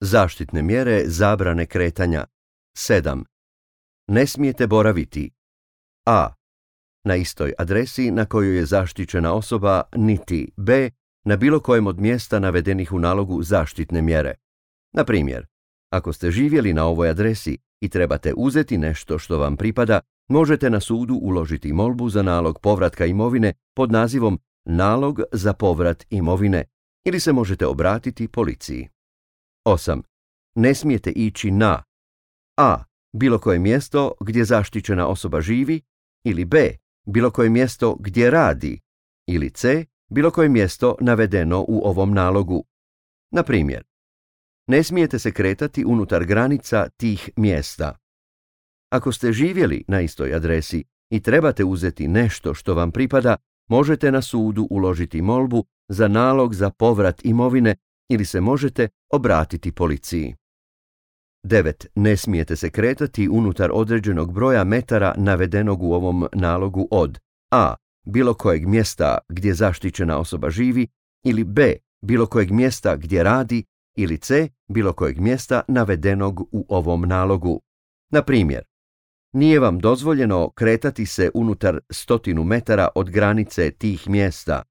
Zaštitne mjere zabrane kretanja. 7. Ne smijete boraviti a. na istoj adresi na kojoj je zaštićena osoba, niti b. na bilo kojem od mjesta navedenih u nalogu zaštitne mjere. Na primjer, ako ste živjeli na ovoj adresi i trebate uzeti nešto što vam pripada, možete na sudu uložiti molbu za nalog povratka imovine pod nazivom nalog za povrat imovine ili se možete obratiti policiji. 8. Ne smijete ići na a. bilo koje mjesto gdje zaštićena osoba živi, ili b. bilo koje mjesto gdje radi, ili c. bilo koje mjesto navedeno u ovom nalogu. Na primjer, ne smijete se kretati unutar granica tih mjesta. Ako ste živjeli na istoj adresi i trebate uzeti nešto što vam pripada, možete na sudu uložiti molbu za nalog za povrat imovine ili se možete obratiti policiji. 9. Ne smijete se kretati unutar određenog broja metara navedenog u ovom nalogu od a. bilo kojeg mjesta gdje zaštićena osoba živi, ili b. bilo kojeg mjesta gdje radi, ili c. bilo kojeg mjesta navedenog u ovom nalogu. Na primjer, nije vam dozvoljeno kretati se unutar 100 metara od granice tih mjesta.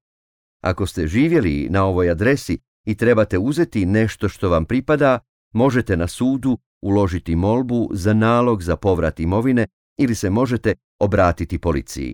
Ako ste živjeli na ovoj adresi i trebate uzeti nešto što vam pripada, možete na sudu uložiti molbu za nalog za povrat imovine ili se možete obratiti policiji.